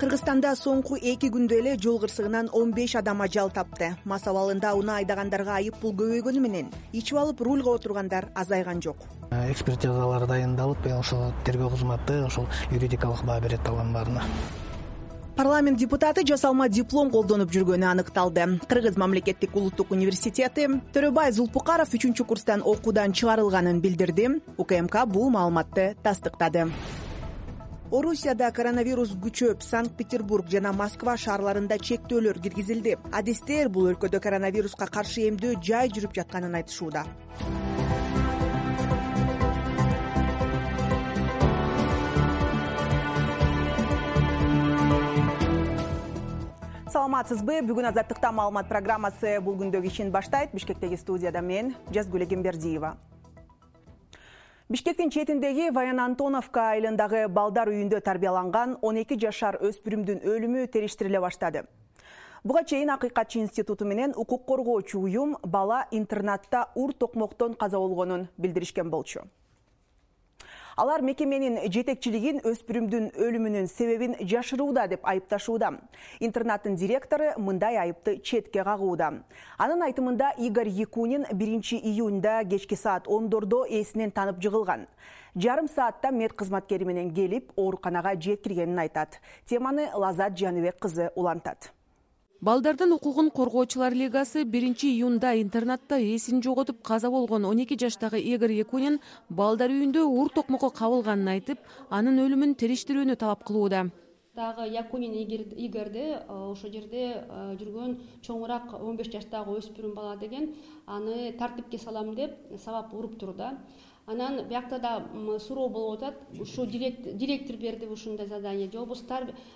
Кыргызстанда соңку 2 күндө эле жол кырсыгынан 15 адам ажал тапты. Мас абалында унаа айдагандарга айып пул көбөйгөнү менен ичип алып рульга отургандар азайган жок. Экспертизалар дайындалып, ошол тергөө кызматы ошол юридикалык баа берет алардын баарына. Парламент депутаты жасалма диплом колдонуп жүргөнү аныкталды. Кыргыз мамлекеттик улуттук университети Төрөбай Зулпукаров 3-курстан окуудан чыгарылганын билдирди. УКМК бул маалыматты тастыктады. Орусияда коронавирус күчөп, Санкт-Петербург жана Москва шаарларында чектөөлөр киргизилди. Адистер бул өлкөдө коронавируска каршы эмдөө жай жүрүп жатканын айтышууда. Саламатсызбы? Бүгүн Азаттыкта маалымат программасы бул күндөгү ишин баштайт. Бишкектеги студияда мен Жазгүл Эгембердиева. Бишкектин четиндеги Ваян Антоновка айылындагы балдар үйүндө тарбияланган 12 жашар өспүрүмдүн өлүмү териштириле баштады. Буга чейин Акыйкатчы институту менен укук коргоочу уюм бала интернатта ур токмоктон каза болгонун билдиришкен болчу. Алар мекеменин жетекчилигин өспүрүмдүн өлүмүнүн себебин жашырууда деп айыпташууда. Интернаттын директору мындай айыпты четке кагууда. Анын айтымында Игорь Якунин 1-июнда кечки саат 10дордо эсинен танып жыгылган. Жарым саатта мед кызматкери менен келип, ооруканага жеткиргенин айтат. Теманы Лазат Жаныбек кызы улантат. Балдардын укугун коргоочулар лигасы 1-июнда интернатта эсин жоготуп каза болгон 12 жаштагы Игорь Якунин балдар үйүндө ур токмокко кабылганын айтып, анын өлүмүн териштирүүнү талап кылууда. Дагы Якунин Игорьди ошол жерде жүргөн чоңураак 15 жаштагы өспүрүм бала деген аны тартипке салам деп сабап уруптур да. Анан биякта да суроо болуп атат. Ушу директор берди ушундай задание, же болбосо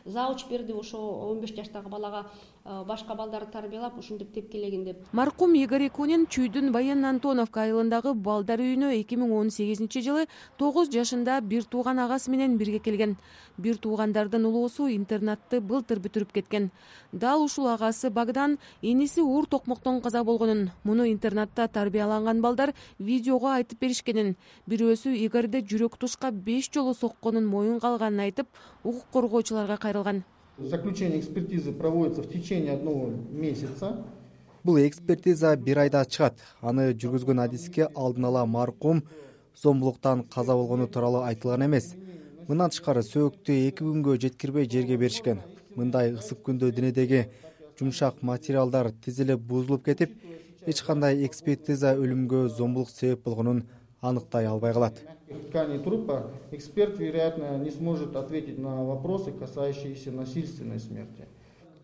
зауч берди ошо 15 жаштагы балага башка балдарды тарбиялап ушинтип тепкилегин деп. Маркум Игорь Якунин Чүйдүн Ваян Антоновка айылындагы балдар үйүнө 2018-жылы 9 жашында бир тууган агасы менен бирге келген. Бир туугандардын улуусу интернатты былтыр бүтүрүп кеткен. Дал ушул агасы Богдан иниси ур токмоктон каза болгонун, муну интернатта тарбияланган балдар видеого айтып беришкенин, бирөөсү Игорьди жүрөк тушка 5 жолу сокконун моюнга алганын айтып, укук коргоочуларга кайрылган. Заключение экспертизы проводится в течение 1 месяца. Бул экспертиза 1 айда чыгат. Аны жүргүзгөн адиске алдын ала маркум зомбулуктан каза болгону тууралуу айтылган эмес. Мындан тышкары сөөктү 2 күнгө жеткирбей жерге беришкен. Мындай ысык күндө денедеги жумшак материалдар тизилип бузулуп кетип, эч кандай экспертиза өлүмгө зомбулук себеп болгонун аныктай албай калат. В ткани трупа эксперт, вероятно, не сможет ответить на вопросы, касающиеся насильственной смерти.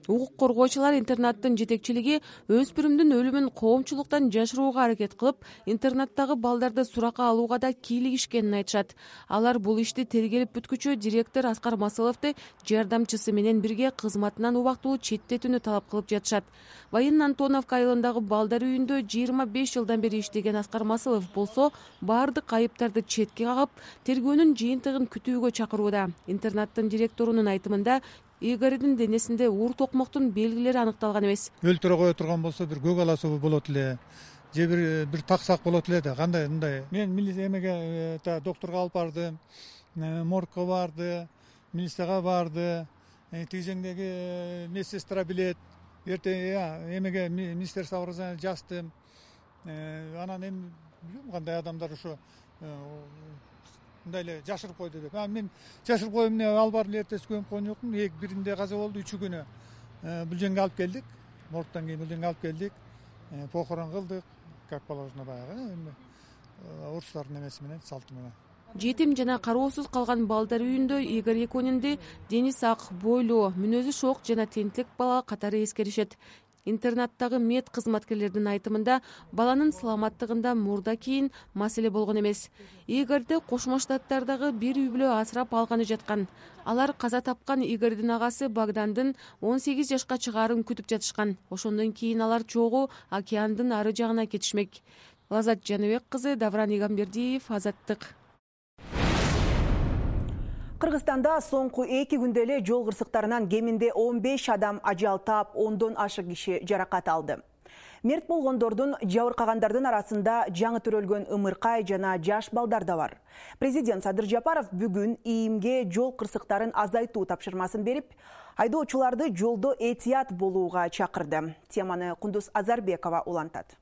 Укук коргоочулар интернаттын жетекчилиги өспүрүмдүн өлүмүн коомчулуктан жашырууга аракет кылып, интернаттагы балдарды суракка алууга да кийлигишкенин айтышат. Алар бул ишти тергелип бүткүчү директор Аскар Масыловду жардамчысы менен бирге кызматынан убактылуу четтетүүнү талап кылып жатышат. Ваян Антоновка айылындагы балдар үйүндө 25 жылдан бери иштеген Аскар Масылов болсо, баардык айыптарды четке кагып, тергөөнүн жыйынтыгын күтүүгө чакырууда. Интернаттын директорунун айтымында Игорьдин денесинде ур токмоктун белгилери аныкталган эмес. Өлтүрө кое турган болсо бир көк ала суу болот эле, же бир таксак болот эле да, кандай мындай. Мен эмеге докторго алып бардым, моргко барды, милицияга барды, тигжеңдеги медсестра билет. Эртең эмеге министерство образования жаздым. Анан эми билбейм кандай адамдар ошо мындай эле жашырып койду деп. Мен жашырып коюм, эмне алып барып эртеси көмүп койгон жокмун. Биринде каза болду, 3-күнү бул жерге алып келдик. Моргтон кийин бул жерге алып келдик. Похорон кылдык, как положено баягы орустардын эмеси менен, салты менен. Жетим жана кароосуз калган балдар үйүндө Игорь Якунинди дени сак, бойлуу, мүнөзү шок жана тенттик бала катары эскеришет. Интернаттагы мед кызматкерлердин айтымында баланын саламаттыгында мурда кийин маселе болгон эмес. Игорьди Кошмо Штаттардагы бир үй бүлө асырап алганы жаткан. Алар каза тапкан Игорьдин агасы Богдандын 18 жашка чыгаарын күтүп жатышкан. Ошондон кийин алар чогуу океандын ары жагына кетишмек. Лазат Жаныбек кызы, Давран Игамбердиев, Азаттык. Кыргызстанда соңку 2 күндө эле жол кырсыктарынан кеминде 15 адам ажал таап, 10дон ашык киши жаракат алды. Мерт болгондордун жабыркагандардын арасында жаңы төрөлгөн ымыркай жана жаш балдар да бар. Президент Садыр Жапаров бүгүн ИИМге жол кырсыктарын азайтуу тапшырмасын берип, айдоочуларды жолдо этият болууга чакырды. Теманы Кундуз Азарбекова улантат.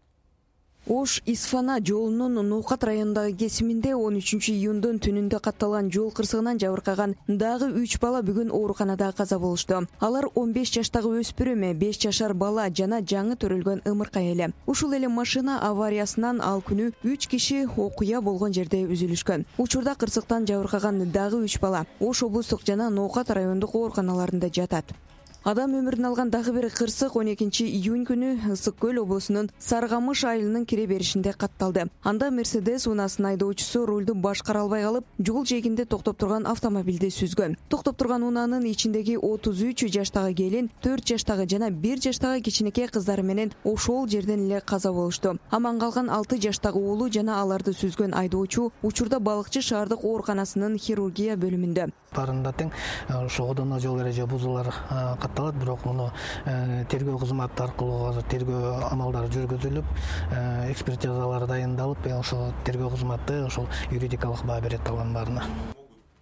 Ош-Исфана жолунун Ноокат районундагы кесиминде 13-июндун түнүндө катталган жол кырсыгынан жабыркаган дагы 3 бала бүгүн ооруканада каза болушту. Алар 15 жаштагы өспүрүм, 5 жашар бала жана жаңы төрөлгөн ымыркай эле. Ушул эле машина авариясынан ал күнү 3 киши окуя болгон жерде үзүлүшкөн. Учурда кырсыктан жабыркаган дагы 3 бала Ош облустук жана Ноокат райондук ооруканаларында жатат. Адам өмүрүн алган дагы бир кырсык 12-июнь күнү Ысык көл облусунун Саргамыш айылынын кире беришинде катталды. Анда Мерседес унаасынын айдоочусу рулду башкара албай калып, жол жээгинде токтоп турган автомобилди сүзгөн. Токтоп турган унаанын ичиндеги 33 жаштагы келин, 4 жаштагы жана 1 жаштагы кичинекей кыздары менен ошол жерден эле каза болушту. Аман калган 6 жаштагы уулу жана аларды сүзгөн айдоочу учурда Балыкчы шаардык ооруканасынын хирургия бөлүмүндө. Тарында тең ошогодон жол эреже бузуулар катталат, бирок муну тергөө кызматы аркылуу азыр тергөө амалдары жүргүзүлүп, экспертизалар дайындалып, ошол тергөө кызматы ошол юридикалык баа берет алган баарына.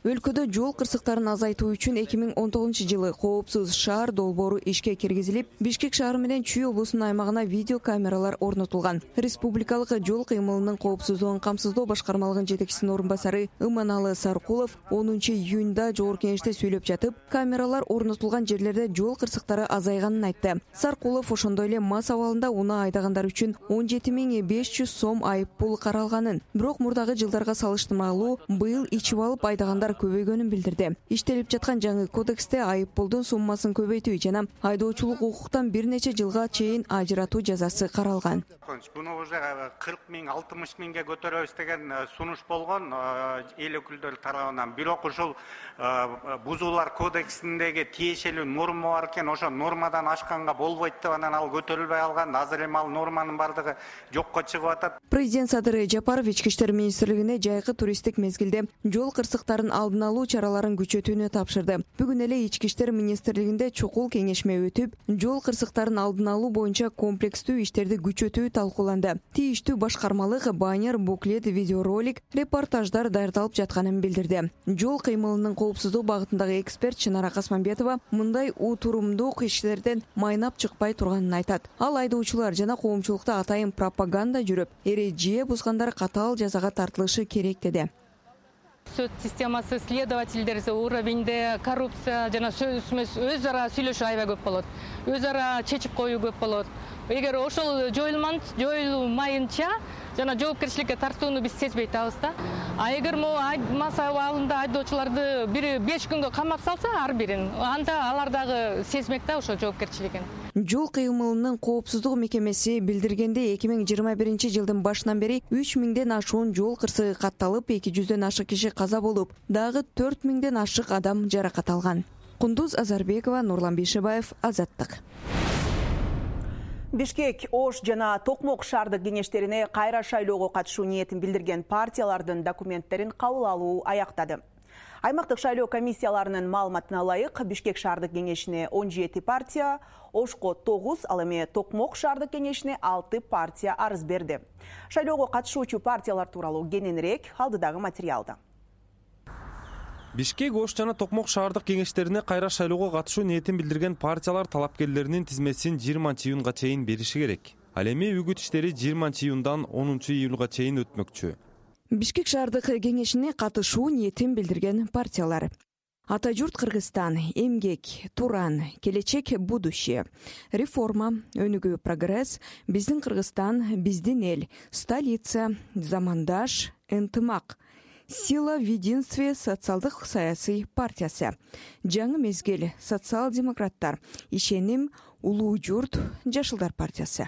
Өлкөдө жол кырсыктарын азайтуу үчүн 2019-жылы коопсуз шаар долбоору ишке киргизилип, Бишкек шаары менен Чүй облусунун аймагына видео камералар орнотулган. Республикалык жол кыймылынын коопсуздугун камсыздоо башкармалыгынын жетекчисинин орун басары Ыманалы Саркулов 10-июнда жогорку кеңеште сүйлөп жатып, камералар орнотулган жерлерде жол кырсыктары азайганын айтты. Саркулов ошондой эле мас абалында унаа айдагандар үчүн 17.500 сом айып пул каралганын, бирок мурдагы жылдарга салыштырмалуу быйыл ичип алып айдагандар көбөйгөнүн билдирди. Иштелип жаткан жаңы кодексте айып пулдун суммасын көбөйтүү жана айдоочулук укуктан бир нече жылга чейин ажыратуу жазасы каралган. Буну уже 40 миң, 60 миңге көтөрөбүз деген сунуш болгон эл өкүлдөрү тарабынан. Бирок ушул бузуулар кодексиндеги тиешелүү норма бар экен, ошо нормадан ашканга болбойт деп анан ал көтөрүлбөй алган. Азыр эми ал норманын бардыгы жокко чыгып атат. Президент Садыр Жапаров Ички иштер министрлигине жайкы туристтик мезгилде жол кырсыктарын алдын алуу чараларын күчөтүүнү тапшырды. Бүгүн эле Ички иштер министрлигинде чукул кеңешме өтүп, жол кырсыктарын алдын алуу боюнча комплекстүү иштерди күчөтүү талкууланды. Тийиштүү башкармалык баннер, буклет, видеоролик, репортаждар даярдалып жатканын билдирди. Жол кыймылынын коопсуздук багытындагы эксперт Чынара Касманбетова мындай утурумдук иштерден майнап чыкпай турганын айтат. Ал айдоочулар жана коомчулукта атайын пропаганда жүрүп, эреже бузгандар катаал жазага тартылышы керек деди. Сөз системасы следовательдер уровеньде коррупция жана өз ара сүйлөшүү аябай көп болот. Өз ара чечип коюу көп болот. Эгер ошол жоюлмайынча жана жоопкерчиликке тартууну биз сезбей атабыз да. А эгер мас абалында айдоочуларды 5 күнгө камап салса ар бирин, анда алар дагы сезмек да ошо жоопкерчилигин. Жол кыймылынын коопсуздук мекемеси билдиргенде 2021-жылдын башынан бери 3000ден ашуун жол кырсыгы катталып, 200дөн ашык киши каза болуп, дагы 4000ден ашык адам жаракат алган. Кундуз Азарбекова, Нурлан Бейшебаев, Азаттык. Бишкек, Ош жана Токмок шаардык кеңештерине кайра шайлоого катышуу ниетин билдирген партиялардын документтерин кабыл алуу аяктады. Аймактык шайлоо комиссияларынын маалыматына ылайык, Бишкек шаардык кеңешине 17 партия, Ошко 9, ал эми Токмок шаардык кеңешине 6 партия арыз берди. Шайлоого катышуучу партиялар тууралуу кененирээк алдыдагы материалда. Бишкек, Ош жана Токмок шаардык кеңештерине кайра шайлоого катышуу ниетин билдирген партиялар талапкерлеринин тизмесин 20-июнга чейин бериши керек. Ал эми үгүт иштери 20-июндан 10-июлга чейин өтмөкчү. Бишкек шаардык кеңешине катышуу ниетин билдирген партиялар: Ата журт Кыргызстан, Эмгек, Туран, Келечек будущее, Реформа, Өнүгүү прогресс, Биздин Кыргызстан, Биздин эл, Столица, Замандаш, Ынтымак, Сила в единстве социалдык саясий партиясы, Жаңы мезгил, социал-демократтар, Ишеним, Улуу журт, Жашылдар партиясы.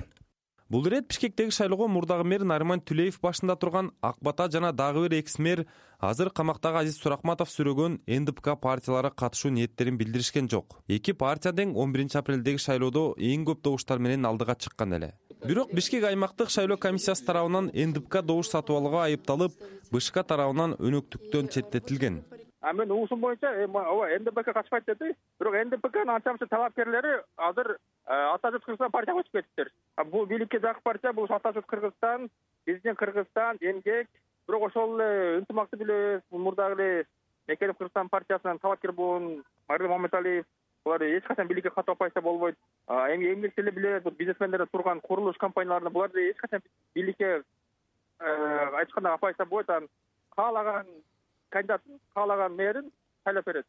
Бул ирет Бишкектеги шайлоого мурдагы мэр Нариман Түлеев башында турган Ак Бата жана дагы бир экс-мэр, азыр камактагы Азиз Суракматов сүрөгөн НДПК партиялары катышуу ниеттерин билдиришкен жок. Эки партия тең 11-апрелдеги шайлоодо эң көп добуштар менен алдыга чыккан эле. Бирок Бишкек аймактык шайлоо комиссиясы тарабынан НДПК добуш сатып алууга айыпталып, БШК тарабынан өнөктүктөн четтетилген. Мен уусум боюнча НДПК катышпайт деди. Бирок НДПКнын анча талапкерлери азыр Ата журт Кыргызстан партияга өтүп кетиптир. Бул бийликке жакын партия, бул Ата журт Кыргызстан, биздин Кыргызстан, эмгек, бирок ошол эле ынтымакты билебиз. Мурдагы эле Мекенов Кыргызстан партиясынан талапкер болгон Мардан Маматалиев, булар эч качан бийликке катып апайса болбойт. Эмгекти эле билебиз, бизнесмендер турган курулуш компанияларында булар эч качан бийликке айтканда апайса болбойт. Каалаган кандидат, каалаган мэрин шайлап берет.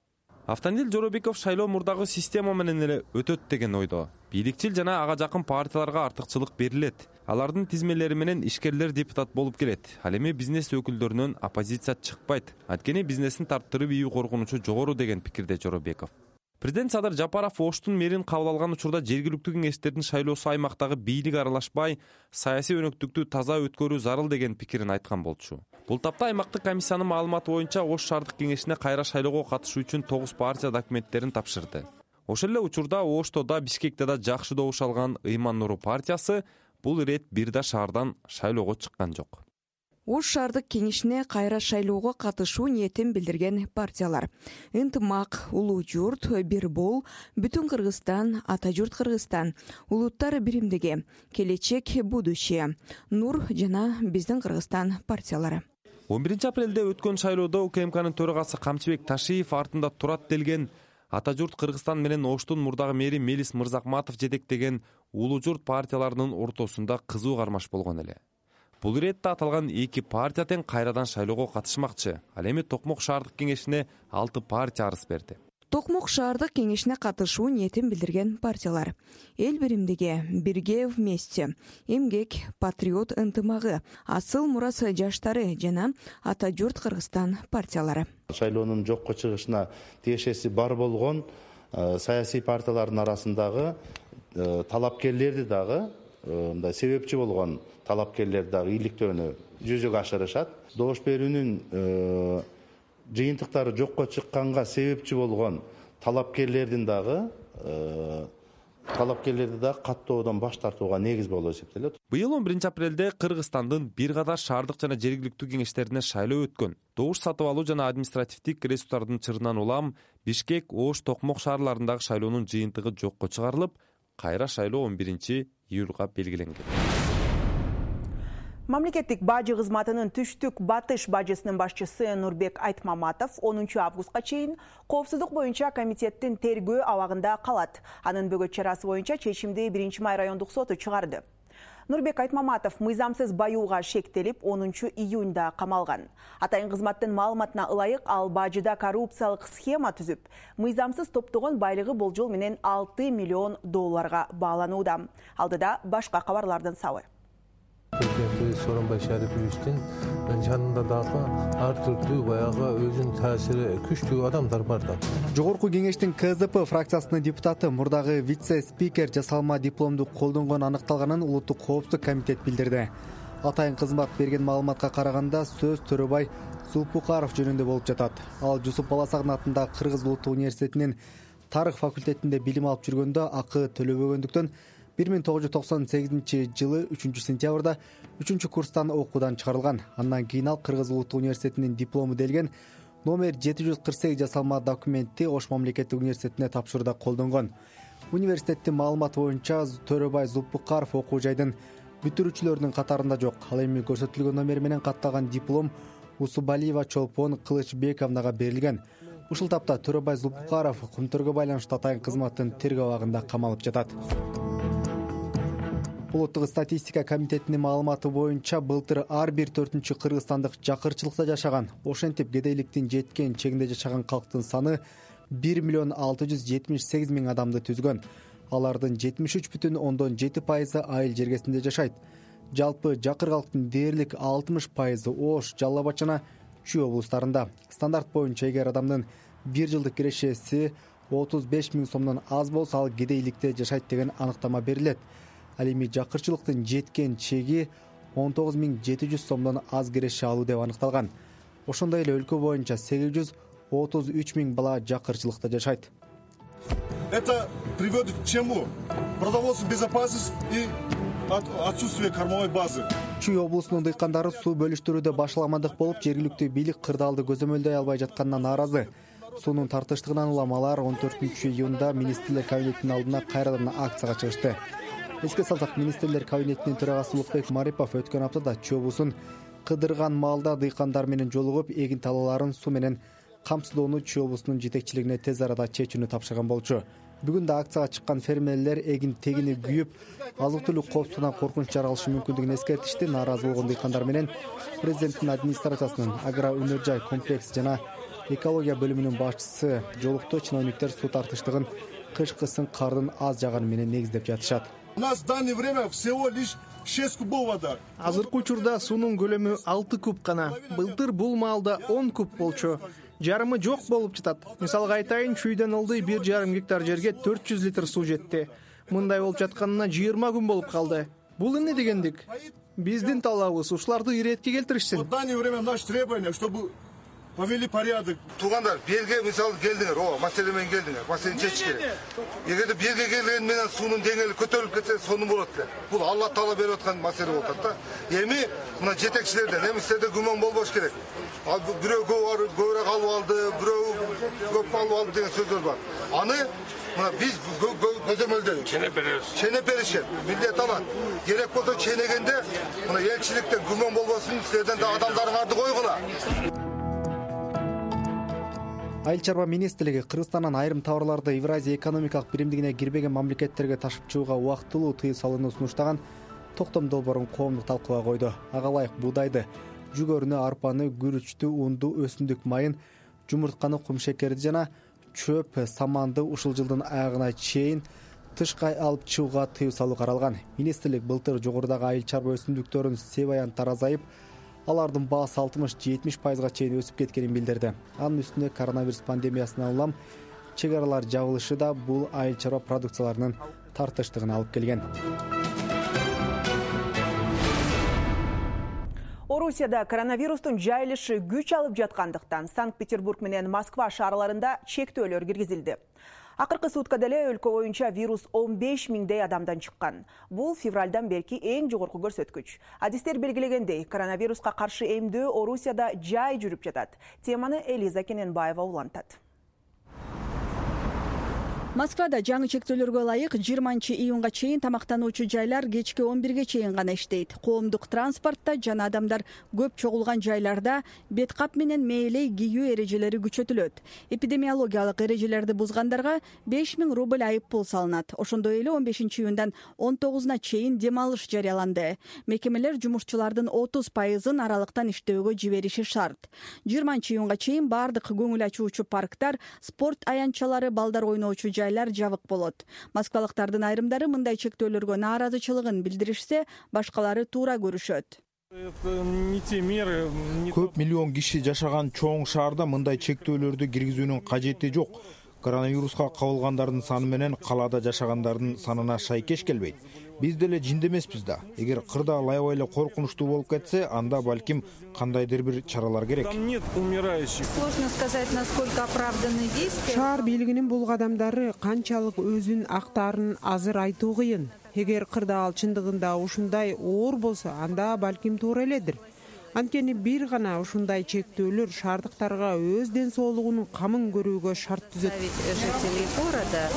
Автандил Жоробеков шайлоо мурдагы система менен эле өтөт деген ойдо. Бийликчил жана ага жакын партияларга артыкчылык берилет. Алардын тизмелери менен ишкерлер депутат болуп келет. Ал эми бизнес өкүлдөрүнөн оппозиция чыкпайт. Анткени бизнестин таптырып ийүү коргонучу жогору деген пикирде Жоробеков. Президент Садыр Жапаров Оштун мэрин кабыл алган учурда жергиликтүү кеңештердин шайлоосу аймактагы бийлик аралашпай, саясий өнөктүктү таза өткөрүү зарыл деген пикирин айткан болчу. Бул тапта аймактык комиссиянын маалыматы боюнча Ош шаардык кеңешине кайра шайлоого катышуу үчүн 9 партия документтерин тапшырды. Ошол эле учурда Ошто да, Бишкекте да жакшы добуш алган Ыйман Нуру партиясы бул ирет бир да шаардан шайлоого чыккан жок. Ош шаардык кеңешине кайра шайлоого катышуу ниетин билдирген партиялар: Ынтымак, Улуу журт, Бир бол, Бүтүн Кыргызстан, Ата журт Кыргызстан, Улуттар биримдиги, Келечек, Будущее, Нур жана Биздин Кыргызстан партиялары. 11 апрелде өткөн шайлоодо УКМКнын төрагасы Камчыбек Ташиев артында турат делген Ата журт Кыргызстан менен Оштун мурдагы мэри Мелис Мырзакматов жетектеген Улуу журт партияларынын ортосунда кызуу кармаш болгон эле. Бул иретте аталган эки партия тең кайрадан шайлоого катышмакчы. Ал эми Токмок шаардык кеңешине 6 партия арыз берди. Токмок шаардык кеңешине катышуу ниетин билдирген партиялар: Эл биримдиги, Бирге вместе, Эмгек, Патриот ынтымагы, Асыл Мурас жаштары жана Ата журт Кыргызстан партиялары. Шайлоонун жокко чыгышына тиешеси бар болгон саясий партиялардын арасындагы талапкерлерди дагы, мындай себепчи болгон талапкерлер дагы ийгиликтөөнү жүзөгө ашырышат. Добуш берүүнүн жыйынтыктары жокко чыкканга себепчи болгон талапкерлерди дагы каттоодон баш тартууга негиз болуп эсептелет. Быйыл 11 апрелде Кыргызстандын бир катар шаардык жана жергиликтүү кеңештерине шайлоо өткөн. Добуш сатып алуу жана административдик ресурстардын чырынан улам Бишкек, Ош, Токмок шаарларындагы шайлоонун жыйынтыгы жокко чыгарылып, кайра шайлоо 11 июлга белгиленген. Мамлекеттик бажы кызматынын түштүк батыш бажысынын башчысы Нурбек Айтмаматов 10 августка чейин коопсуздук боюнча комитеттин тергөө абагында калат. Анын бөгөт чарасы боюнча чечимди 1 май райондук соту чыгарды. Нурбек Айтмаматов мыйзамсыз баюуга шектелип 10 июнда камалган. Атайын кызматтын маалыматына ылайык ал бажыда коррупциялык схема түзүп, мыйзамсыз топтогон байлыгы болжол менен $6 миллион бааланууда. Алдыда башка кабарлардын сабы. Сооронбай Шариповичтин жанында дагы ар түрдүү баягы өзүнүн таасири күчтүү адамдар бар да. Жогорку кеңештин КЗП фракциясынын депутаты мурдагы вице-спикер жасалма дипломду колдонгон аныкталганын Улуттук коопсуздук комитет билдирди. Атайын кызмат берген маалыматка караганда сөз Төрөбай Зулпукаров жөнүндө болуп жатат. Ал Жусуп Баласагын атындагы Кыргыз Улуттук университетинин тарых факультетинде билим алып жүргөндө акы төлөбөгөндүктөн 1998 жылы 3 сентябрда 3 курстан окуудан чыгарылган. Андан кийин ал Кыргыз Улуттук университетинин диплому делген номер 748 жасалма документти Ош мамлекеттик университетине тапшырууда колдонгон. Университеттин маалыматы боюнча Төрөбай Зулпукаров окуу жайдын бүтүрүүчүлөрүнүн катарында жок. Ал эми көрсөтүлгөн номер менен катталган диплом Усубалиева Чолпон Кылычбековнага берилген. Ушул тапта Төрөбай Зулпукаров кумтөргө байланыштуу атайын кызматтын тергөө абагында камалып жатат. Улуттук статистика комитетинин маалыматы боюнча былтыр ар бир 4-чү кыргызстандык жакырчылыкта жашаган. Ошентип кедейликтин жеткен чегинде жашаган калктын саны 1 678 000 адамды түзгөн. Алардын 73,7% айыл жергесинде жашайт. Жалпы жакыр калктын дээрлик 60% Ош, Жалал Абад жана Чүй облустарында. Стандарт боюнча эгер адамдын 1 жылдык кирешеси 35 000 сомдон аз болсо ал кедейликте жашайт деген аныктама берилет. Ал эми жакырчылыктын жеткен чеги 19 700 сомдон аз киреше алуу деп аныкталган. Ошондой эле өлкө боюнча 833 000 бала жакырчылыкта жашайт. Это приводит к чему? Продовольственная безопасность и отсутствие кормовой базы. Чүй облусунун дыйкандары суу бөлүштүрүүдө башаламандык болуп, жергиликтүү бийлик кырдаалды көзөмөлдөй албай жатканына нааразы. Суунун тартыштыгынан улам алар 14-июнда министрлер кабинетинин алдына кайрадан акцияга чыгышты. Эске салсак, министрлер кабинетинин төрагасы Улукбек Марипов өткөн аптада чөбүсүн кыдырган маалда дыйкандар менен жолугуп, эгин талааларын суу менен камсыздоону чөбүсүнүн жетекчилигине тез арада чечүүнү тапшырган болчу. Бүгүн да акцияга чыккан фермерлер эгин тегини күйүп, азык-түлүк коопсуздугунан коркунуч жаралышы мүмкүндүгүн эскертишти. Нааразы болгон дыйкандар менен президенттин администрациясынын агро-өнөр жай комплекси жана экология бөлүмүнүн башчысы жолукту. Чиновниктер суу тартыштыгын кышкы кардын аз жаганы менен негиздеп жатышат. У нас в данное время всего лишь 6 кубов вода. Азыркы учурда суунун көлөмү 6 куб гана. Былтыр бул маалда 10 куб болчу. Жарымы жок болуп жатат. Мисалга айтайын, чүйдөн ылдый 1,5 гектар жерге 400 литр суу жетти. Мындай болуп жатканына 20 күн болуп калды. Бул эмне дегендик? Биздин талабыбыз ушуларды иретке келтиришсин. В данное время наше требование, чтобы повели порядок. Туугандар, берге мисалы келдиңер, маселе менен келдиңер, маселени чечиш керек. Эгерде берге келген менен суунун деңгээли көтөрүлүп кетсе, сонун болот эле. Бул Алла таала берип аткан маселе болуп атат да. Эми мына жетекчилерден, эми силерде күмөн болбош керек. Бирөө көбүрөөк алып алды, бирөө көп алып алды деген сөздөр бар. Аны мына биз көзөмөлдөйбүз. Ченеп беришет. Милдет алат. Керек болсо ченегенде мына элчиликтен күмөн болбосун, силерден да адамдарыңарды койгула. Айыл чарба министрлиги Кыргызстандан айрым товарларды Евразия экономикалык биримдигине кирбеген мамлекеттерге ташып чыгууга убактылуу тыюу салууну сунуштаган токтом долбоорун коомдук талкууга койду. Ага ылайык буудайды, жүгөрүнү, арпаны, күрүчтү, унду, өсүмдүк майын, жумуртканы, кумшекерди жана чөп, саманды ушул жылдын аягына чейин тышка алып чыгууга тыюу салуу каралган. Министрлик былтыр жогорудагы айыл чарба өсүмдүктөрүн себаянттар азайып, алардын баасы 60-70%га чейин өсүп кеткенин билдирди. Анын үстүнө коронавирус пандемиясынан улам чек аралар жабылышы да бул айыл чарба продукцияларынын тартыштыгына алып келген. Орусияда коронавирустун жайылышы күч алып жаткандыктан Санкт-Петербург менен Москва шаарларында чектөөлөр киргизилди. Акыркы суткада эле өлкө боюнча вирус 15 миңдей адамдан чыккан. Бул февралдан берки эң жогорку көрсөткүч. Адистер белгилегендей, коронавируска каршы эмдөө Орусияда жай жүрүп жатат. Теманы Элиза Кененбаева улантат. Москвада жаңы чектөөлөргө ылайык 20-июнга чейин тамактануучу жайлар кечки 11ге чейин гана иштейт. Коомдук транспортто жана адамдар көп чогулган жайларда бет кап менен мээлей кийүү эрежелери күчөтүлөт. Эпидемиологиялык эрежелерди бузгандарга 5000 рубль айып пул салынат. Ошондой эле 15-июндан 19-на чейин дем алыш жарыяланды. Мекемелер жумушчулардын 30%-ын аралыктан иштөөгө жибериши шарт. 20-июнга чейин бардык көңүл ачуучу парктар, спорт аянтчалары, балдар ойноочу жайлар жабык болот. Москвалыктардын айрымдары мындай чектөөлөргө нааразычылыгын билдиришсе, башкалары туура көрүшөт. Көп миллион киши жашаган чоң шаарда мындай чектөөлөрдү киргизүүнүн кажети жок. Коронавируска кабылгандардын саны менен калаада жашагандардын санына шайкеш келбейт. Биз деле жинде эмеспиз да. Эгер кырда аябай эле коркунучтуу болуп кетсе, анда балким кандайдыр бир чаралар керек. Сложно сказать, насколько оправданы действия. Шаар бийлигинин бул кадамдары канчалык өзүн актаарын азыр айтуу кыйын. Эгер кырда ал чындыгында ушундай оор болсо, анда балким туура эледир. Анткени бир гана ушундай чектөөлөр шаардыктарга өз ден соолугунун камын көрүүгө шарт түзөт. Жителей города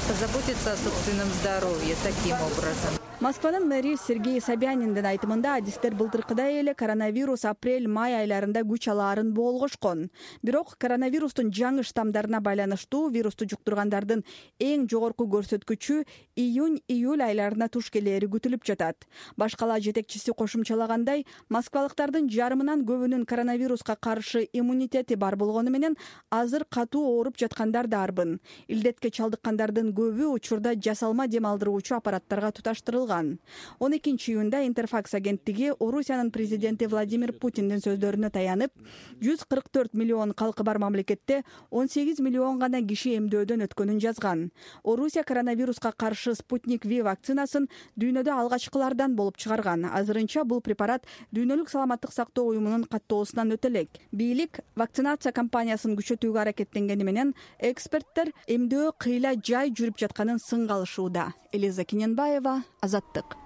позаботиться о собственном здоровье таким образом. Москванын мэри Сергей Собяниндин айтымында адистер былтыркыдай эле коронавирус апрель-май айларында күч алаарын болгошкон. Бирок коронавирустун жаңы штамдарына байланыштуу вирусту жуктургандардын эң жогорку көрсөткүчү июнь-июль айларына туш келери күтүлүп жатат. Башкала жетекчиси кошумчалагандай, москвалыктардын жарымынан көбүнүн коронавируска каршы иммунитети бар болгону менен азыр катуу ооруп жаткандар да арбын. Илдетке чалдыккандардын көбү учурда жасалма дем алдыруучу аппараттарга туташтырылган. 12-июнда Интерфакс агенттиги Орусиянын президенти Владимир Путиндин сөздөрүнө таянып, 144 миллион калкы бар мамлекетте 18 миллион гана киши эмдөөдөн өткөнүн жазган. Орусия коронавируска каршы Спутник V вакцинасын дүйнөдө алгачкылардан болуп чыгарган. Азырынча бул препарат Дүйнөлүк саламаттык сактоо уюмунун каттоосунан өтө элек. Бийлик вакцинация кампаниясын күчөтүүгө аракеттенгени менен эксперттер эмдөө кыйла жай жүрүп жатканын сынга алышууда. Элиза Кененбаева, Азаттык.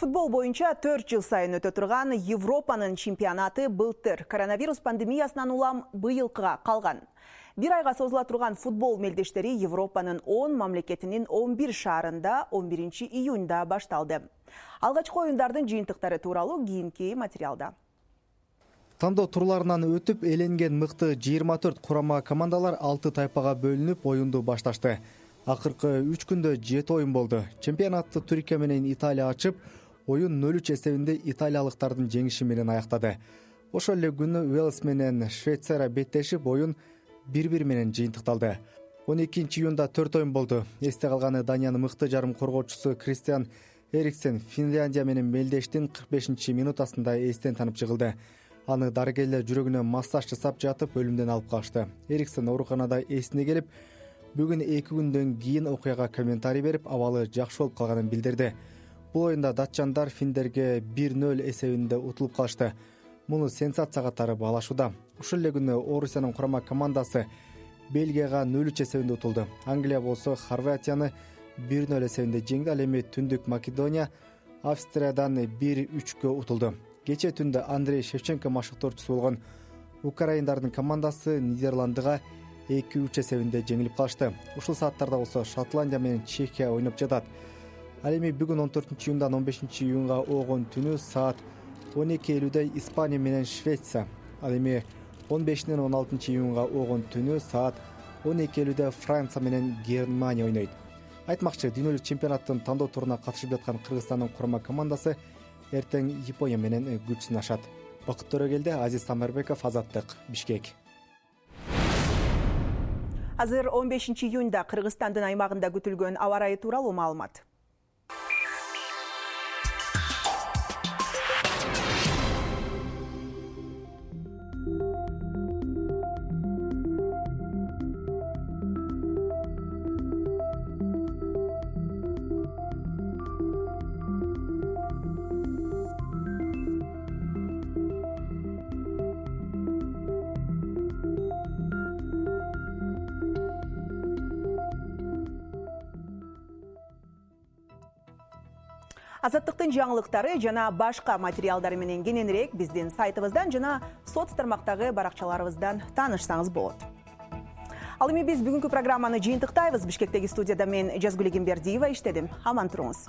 Футбол боюнча 4 жыл сайын өтө турган Европанын чемпионаты былтыр коронавирус пандемиясынан улам быйылкыга калган. Бир айга созула турган футбол мелдештери Европанын 10 мамлекетинин 11 шаарында 11 июнда башталды. Алгачкы оюндардын жыйынтыктары тууралуу кийинки материалда. Тандоо турларынан өтүп эленген мыкты 24 курама командалар 6 тайпага бөлүнүп оюнду башташты. Акыркы 3 күндө 7 оюн болду. Чемпионатты Түркия менен Италия ачып, оюн 0-3 эсебинде италиялыктардын жеңиши менен аяктады. Ошол эле күнү Уэльс менен Швейцария беттешип, оюн 1-1 менен жыйынтыкталды. 12 июнда 4 оюн болду. Эсте калганы Даниянын мыкты жарым коргоочусу Кристиан Эриксен Финляндия менен мелдештин 45-минутасында эстен танып жыгылды. Аны дарыгерлер жүрөгүнө массаж жасап жатып өлүмдөн алып калышты. Эриксен ооруканада эсине келип, бүгүн 2 күндөн кийин окуяга комментарий берип, абалы жакшы болуп калганын билдирди. Бул оюнда датчандар финдерге 1-0 эсебинде утулуп калышты. Муну сенсацияга катары баалашууда. Ушул эле күнү Орусиянын курама командасы Бельгияга 0-3 эсебинде утулду. Англия болсо Хорватияны 1-0 эсебинде жеңди. Ал эми Түндүк Македония Австриядан 1-3 утулду. Кечээ түндө Андрей Шевченко машыктоочусу болгон украиндардын командасы Нидерландыга 2-3 эсебинде жеңилип калышты. Ушул сааттарда болсо Шотландия менен Чехия ойноп жатат. Ал эми бүгүн 14 июндан 15 июнга огон түнү саат 12:50 Испания менен Швеция. Ал эми 15-ден 16 июнга огон түнү саат 12:50 Франция менен Германия ойнойт. Айтмакчы, дүйнөлүк чемпионаттын тандоо туруна катышып жаткан Кыргызстандын курама командасы эртең Япония менен күч сынашат. Бакыт Төрөгелди, Азиз Самарбеков, Азаттык, Бишкек. Азыр 15 июнда Кыргызстандын аймагында күтүлгөн аба ырайы тууралуу маалымат. Азаттыктын жаңылыктары жана башка материалдары менен кененирээк биздин сайтыбыздан жана соц тармактагы баракчаларыбыздан таанышсаңыз болот. Ал эми биз бүгүнкү программаны жыйынтыктайбыз. Бишкектеги студияда мен Жазгүл Эгембердиева иштедим. Аман туруңуз.